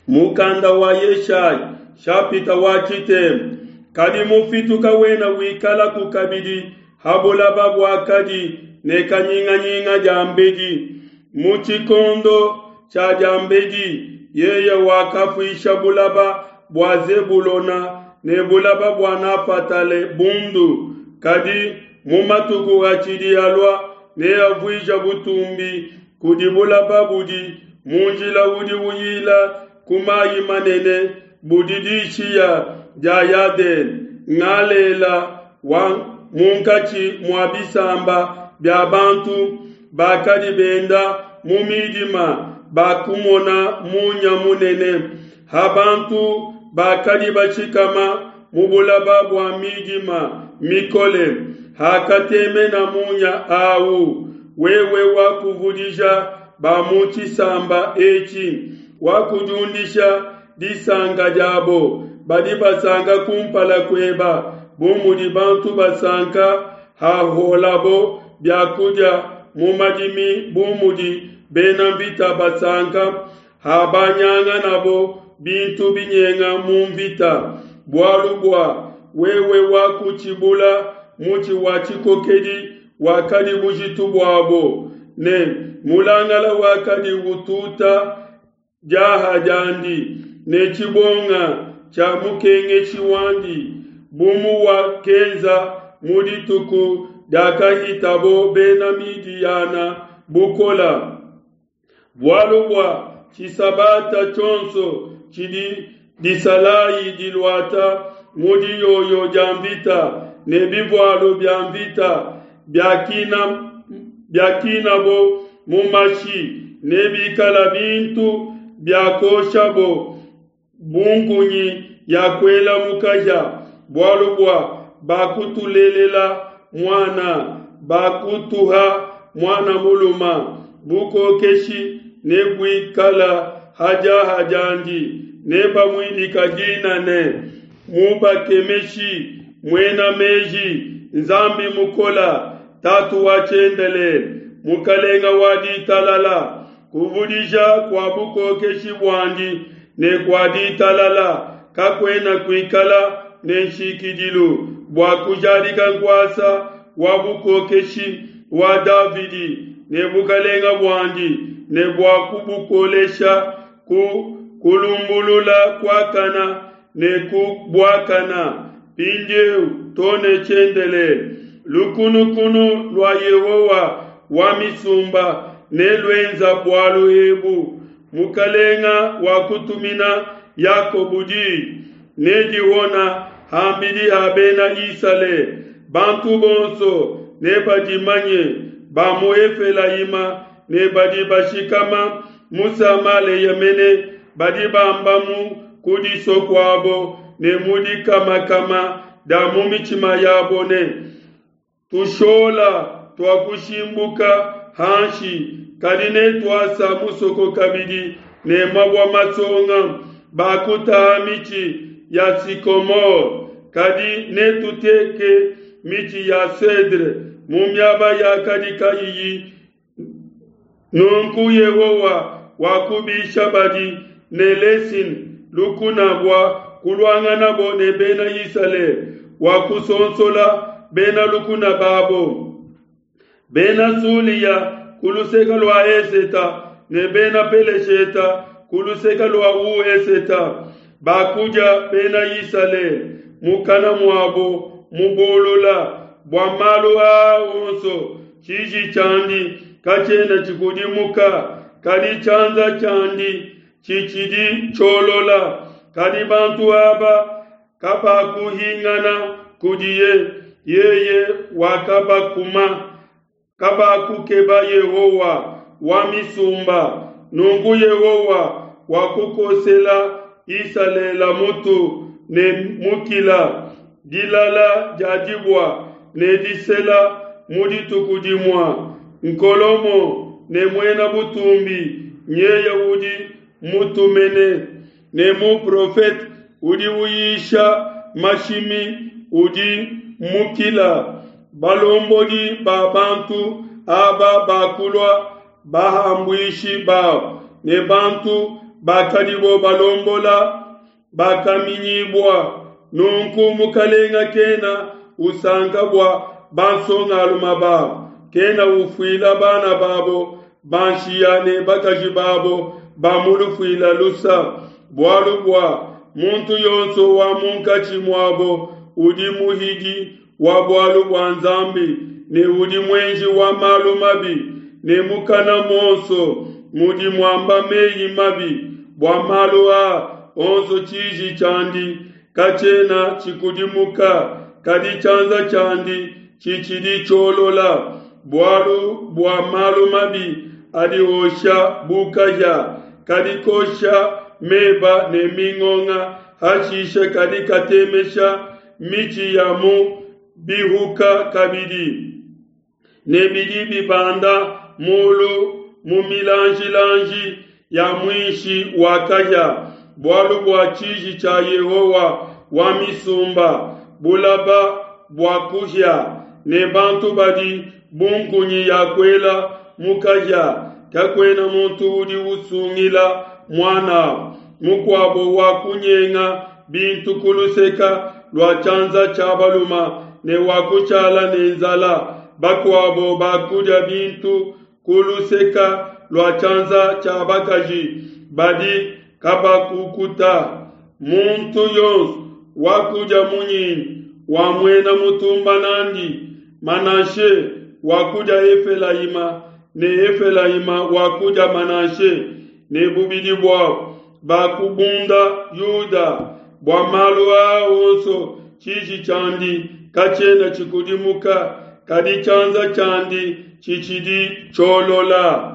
Mukanda wa Yeshaya shapita wa tshitema. Kadi mufitu kawena wikalaku kabidi ha bulaba buakadi ne kanyinganyinga diambedi. Mu tshikondo tshia diambedi yeye wakafuisha bulaba bua Zebulona ne bulaba bua Nafatale bundu, kadi mu matuku atshidi alua neavuija butumbi kudi bulaba budi mu njila udi uyila ku mayi manene budi dishiya dia Yadene, Ngalela wa munkatshi mua bisamba bia bantu bakadi benda mu midima bakumona munya munene. Ha bantu bakadi bashikama mu bulaba bua midima mikole, hakatemena munya au. Wewe wakuvudija ba mu tshisamba etshi, wakudiundisha disanka diabo. Badi basanka kumpala kueba bu mudi bantu basanka haholabo biakudia mu madimi, bu mudi bena mvita basanka habanyanganabo bintu binyenga mu mvita. Bualu bua wewe wakutshibula mutshi wa tshikokedi wakadi bujitu buabo, ne mulangala wakadi ututa diaha diandi, ne tshibonga tshia mukengeshi wandi, bu muwakenza mu dituku diakahitabo Bena Midiyana bukola. Bualu bua tshisabata tshionso tshidi disalayi diluata mu diyoyo dia mvita ne bivualu bia mvita biakinabo mu mashi, nebikala bintu biakoshabo bu nkunyi ya kuela mu kahia, bualu bua bakutulelela muana, bakutuha muana muluma, bukokeshi nebuikala ha diaha diandi, nebamuidika dina ne, Mubakemeshi, Muena Meji, Nzambi Mukola, Tatu wa Tshiendelele, Mukalenga wa Ditalala. Kuvudija kua bukokeshi buandi ne kua ditalala kakuena kuikala ne nshikidilu, bua kujadika nkuasa wa bukokeshi wa Davidi ne bukalenga buandi, ne bua kubukolesha ku kulumbulula kuakana ne ku buakana, mpindieu to ne tshiendelele. Lukunukunu lua Yehowa wa misumba neluenza bualu ebu. Mukalenga wakutumina Yakobo diyi, nedihona ham'bidi ha Bena Isalele. Bantu bonso nebadimanye, ba mu Efelayima ne badi bashikama mu Samalea mene, badi bamba mu kudisua kuabo ne mu dikamakama dia mu mitshima yabo ne, Tushola tuakushimbuka hanshi, kadi netuasa musoko kabidi ne mabua masonga. Bakutaha mitshi ya sycomore, kadi netuteke mitshi ya cedre mu miaba yakadi kayiyi. Nunku Yehowa wakubisha badi ne Lesin lukuna bua kuluanganabo ne Bena Isalele, wakusonsola bena lukuna babo. Bena Sulia ku luseke lua eseta ne Bena Pelesheta ku luseke lua ueseta bakudia Bena Isalele mukana muabo mubulula. Bua malu aa onso tshiji tshiandi katshiena tshikudimuka, kadi tshianza tshiandi tshitshidi tshiolola. Kadi bantu aba kabakuhingana kudiye, yeye wakabakuma, kabakukeba Yehowa wa misumba. Nunku Yehowa wakukosela Isalele mutu ne mukila, dilala dia dibua ne disela mu dituku dimua. Nkolomo ne muena butumbi nyeye udi mutumene, ne muprofete udi uyisha mashimi udi mukila. Balombodi ba bantu aba bakulua bahambuishi babo, ne bantu bakadibo balombola bakaminyibua. Nunku mukalenga kena usanka bua bansongalume babo, kena ufuila bana babo ba nshiya ne bakaji babo ba mu lufuila lusa, bualu bua muntu yonso wa munkatshi muabo udi muhidi wa bualu bua Nzambi ne udi muenji wa malu mabi, ne mukana muonso mudi muamba meyi mabi. Bua malu aa onso tshiji tshiandi katshiena tshikudimuka, kadi tshianza tshiandi tshitshidi tshiolola. Bualu bua malu mabi adi osha bu kahia, kadi kosha meba ne mingonga, hashishe kadi katemesha mitshi ya mu bihuka kabidi, ne bidi bibanda mulu mu milanjilanji ya muinshi wa kahia. Bualu bua tshiji tshia Yehowa wa misumba, bulaba bua kuhia, ne bantu badi bu nkunyi ya kuela mu kahia. Kakuena muntu udi usungila muan'abo mukuabo wa kunyenga bintu ku luseke lua tshianza tshia balume ne wa kushala ne nzala, bakuabo bakudia bintu ku luseke lua tshianza tshia bakaji badi kabakukuta. Muntu yonso wakudia munyinyi wa muena mutumba n'andi, Manashe wakudia Efelayima ne Efelayima wakudia Manashe, ne bubidi buabo bakubunda Yuda. Bua malu aa onso tshiji tshiandi katshiena tshikudimuka, kadi tshianza tshiandi tshitshidi tshiolola.